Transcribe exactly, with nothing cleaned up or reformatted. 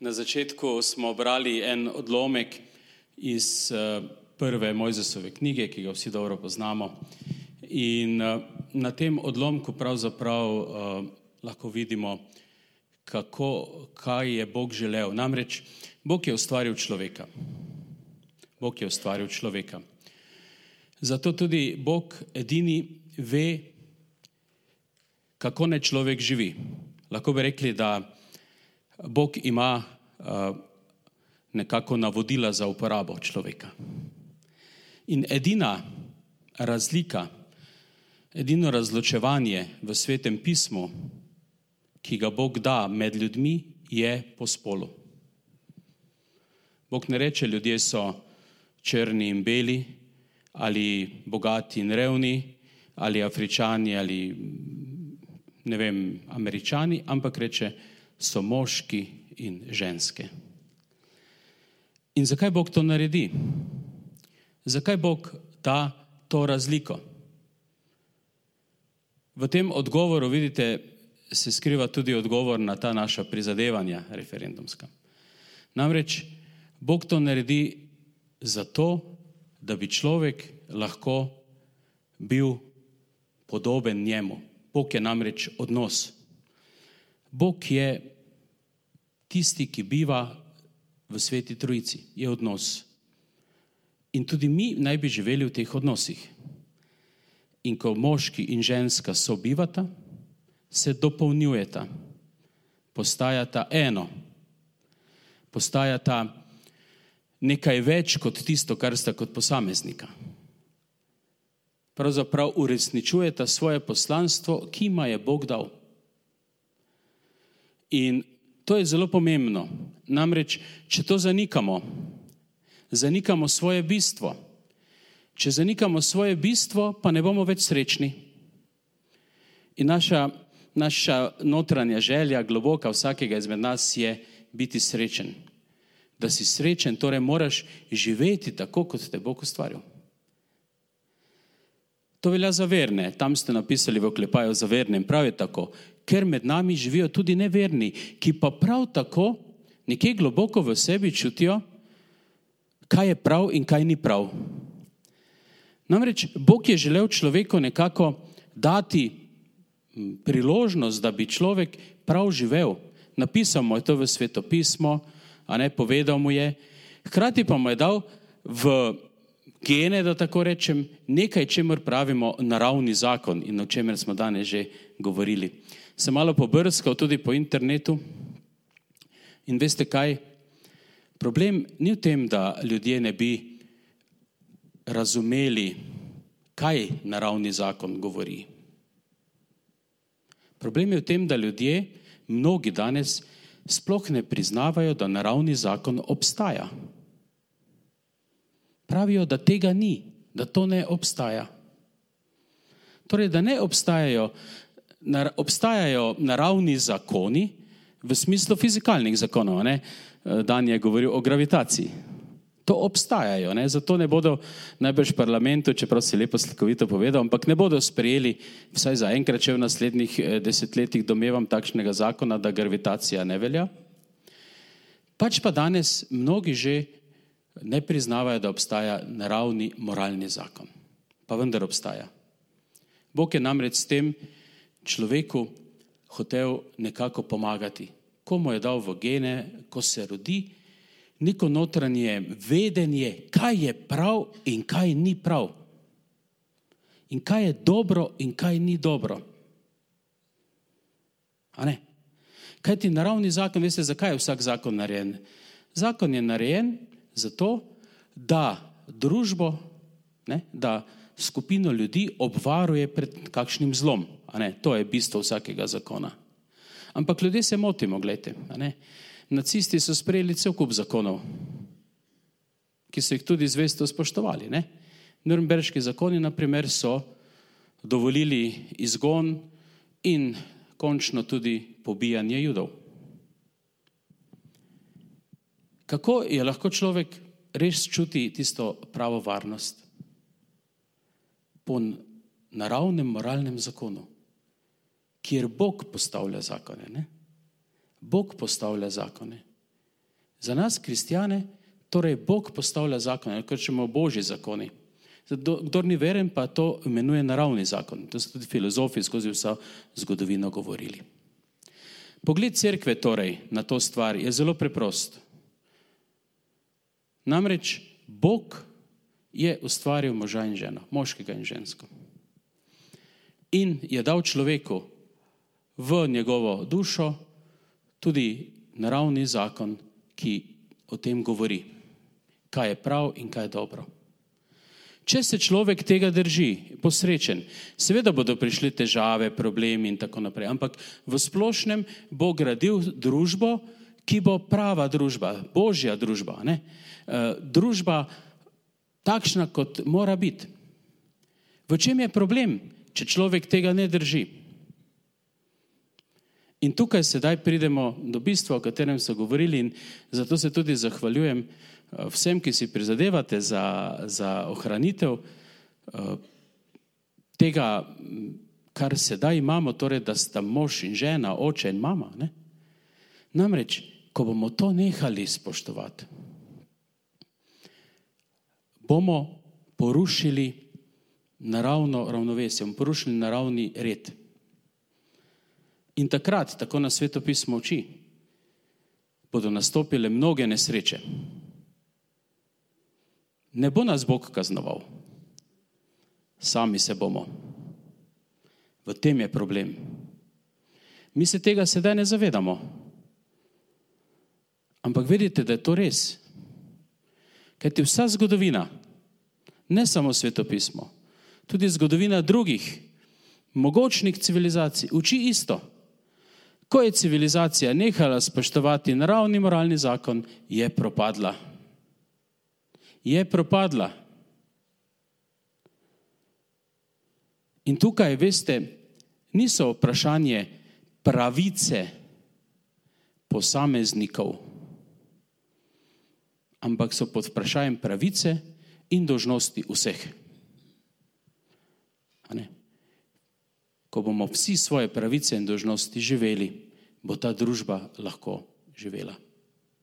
Na začetku smo brali en odlomek iz prve Mojzesove knjige, ki ga vsi dobro poznamo. In na tem odlomku pravzaprav uh, lahko vidimo, kako, kaj je Bog želel. Namreč, Bog je ustvaril človeka. Bog je ustvaril človeka. Zato tudi Bog edini ve, kako naj človek živi. Lahko bi rekli, da Bog ima uh, nekako navodila za uporabo človeka. In edina razlika, edino razločevanje v Svetem pismu, ki ga Bog da med ljudmi, je po spolu. Bog ne reče, ljudje so črni in beli, ali bogati in revni, ali Afričani, ali ne vem, Američani, ampak reče, so moški in ženske. In zakaj Bog to naredi? Zakaj Bog da to razliko? V tem odgovoru, vidite, se skriva tudi odgovor na ta naša prizadevanja referendumska. Namreč, Bog to naredi zato, da bi človek lahko bil podoben njemu. Bog je namreč odnos. Bog je tisti, ki biva v Sveti Trojici, je odnos. In tudi mi naj bi živeli v teh odnosih. In ko moški in ženska sobivata, se dopolnjujeta, postajata eno, postajata nekaj več kot tisto, kar sta kot posameznika. Pravzaprav uresničujeta svoje poslanstvo, ki ima je Bog dal. In to je zelo pomembno. Namreč, če to zanikamo, zanikamo svoje bistvo. Če zanikamo svoje bistvo, pa ne bomo več srečni. In naša, naša notranja želja, globoka vsakega izmed nas je biti srečen. Da si srečen, torej moraš živeti tako, kot te Bog ustvaril. To velja za verne. Tam ste napisali v oklepaju za verne in prav je tako. Ker med nami živijo tudi neverni, ki pa prav tako nekje globoko v sebi čutijo, kaj je prav in kaj ni prav. Namreč, Bog je želel človeku nekako dati priložnost, da bi človek prav živel. Napisal mu je to v Svetopismo, a ne, povedal mu je. Hkrati pa mu je dal v gene, da tako rečem, nekaj, čemur pravimo naravni zakon in o čemer smo danes že govorili. Sem malo pobrskal tudi po internetu in veste kaj? Problem ni v tem, da ljudje ne bi razumeli, kaj naravni zakon govori. Problem je v tem, da ljudje, mnogi danes, sploh ne priznavajo, da naravni zakon obstaja. Pravijo, da tega ni, da to ne obstaja. Torej, da ne obstajajo, nar, obstajajo naravni zakoni v smislu fizikalnih zakonov. Ne? Dan je govoril o gravitaciji. To obstajajo, ne? Zato ne bodo najbrž v parlamentu, čeprav si lepo slikovito povedal, ampak ne bodo sprejeli, vsaj za enkrat, če v naslednjih desetletjih domevam takšnega zakona, da gravitacija ne velja. Pač pa danes mnogi že ne priznavajo, da obstaja naravni moralni zakon. Pa vendar obstaja. Bog je namreč s tem človeku hotel nekako pomagati. Ko mu je dal v gene, ko se rodi, neko notranje vedenje, kaj je prav in kaj ni prav. In kaj je dobro in kaj ni dobro. A ne? Kaj ti naravni zakon, veste, zakaj je vsak zakon narejen? Zakon je narejen zato, da družbo, ne, da skupino ljudi obvaruje pred kakšnim zlom. A ne? To je bistvo vsakega zakona. Ampak ljudje se motimo, gledajte. A ne? Nacisti so sprejeli cel kup zakonov, ki so jih tudi zvesto spoštovali. Ne? Nürnberški zakoni, na primer, so dovolili izgon in končno tudi pobijanje Judov. Kako je lahko človek res čuti tisto pravo varnost? Po naravnem moralnem zakonu, kjer Bog postavlja zakone. Ne? Bog postavlja zakone. Za nas, kristjane, torej Bog postavlja zakone, kar čemo božji zakoni. Kdor ni veren, pa to imenuje naravni zakon. To so tudi filozofi skozi vso zgodovino govorili. Pogled cerkve torej na to stvar je zelo preprost. Namreč Bog je ustvaril moža in ženo, moškega in žensko. In je dal človeku v njegovo dušo tudi naravni zakon, ki o tem govori, kaj je prav in kaj je dobro. Če se človek tega drži, posrečen, seveda bodo prišli težave, problemi in tako naprej, ampak v splošnem bo gradil družbo, ki bo prava družba, božja družba, ne? E, družba takšna, kot mora biti. V čem je problem, če človek tega ne drži? In tukaj sedaj pridemo do bistva, o katerem so govorili, in zato se tudi zahvaljujem vsem, ki si prizadevate za, za ohranitev tega, kar sedaj imamo, torej, da sta mož in žena, oče in mama. Ne? Namreč, ko bomo to nehali spoštovati, bomo porušili naravno ravnovesje, bomo porušili naravni red. In takrat, tako nas Svetopismo uči, bodo nastopile mnoge nesreče. Ne bo nas Bog kaznoval, sami se bomo. V tem je problem. Mi se tega sedaj ne zavedamo. Ampak vedite, da je to res. Kajti vsa zgodovina, ne samo Svetopismo, tudi zgodovina drugih mogočnih civilizacij uči isto. Ko je civilizacija nehala spoštovati naravni moralni zakon, je propadla. Je propadla. In tukaj, veste, niso vprašanje pravice posameznikov, ampak so pod vprašanjem pravice in dolžnosti vseh. A ne? Ko bomo vsi svoje pravice in dolžnosti živeli, bo ta družba lahko živela.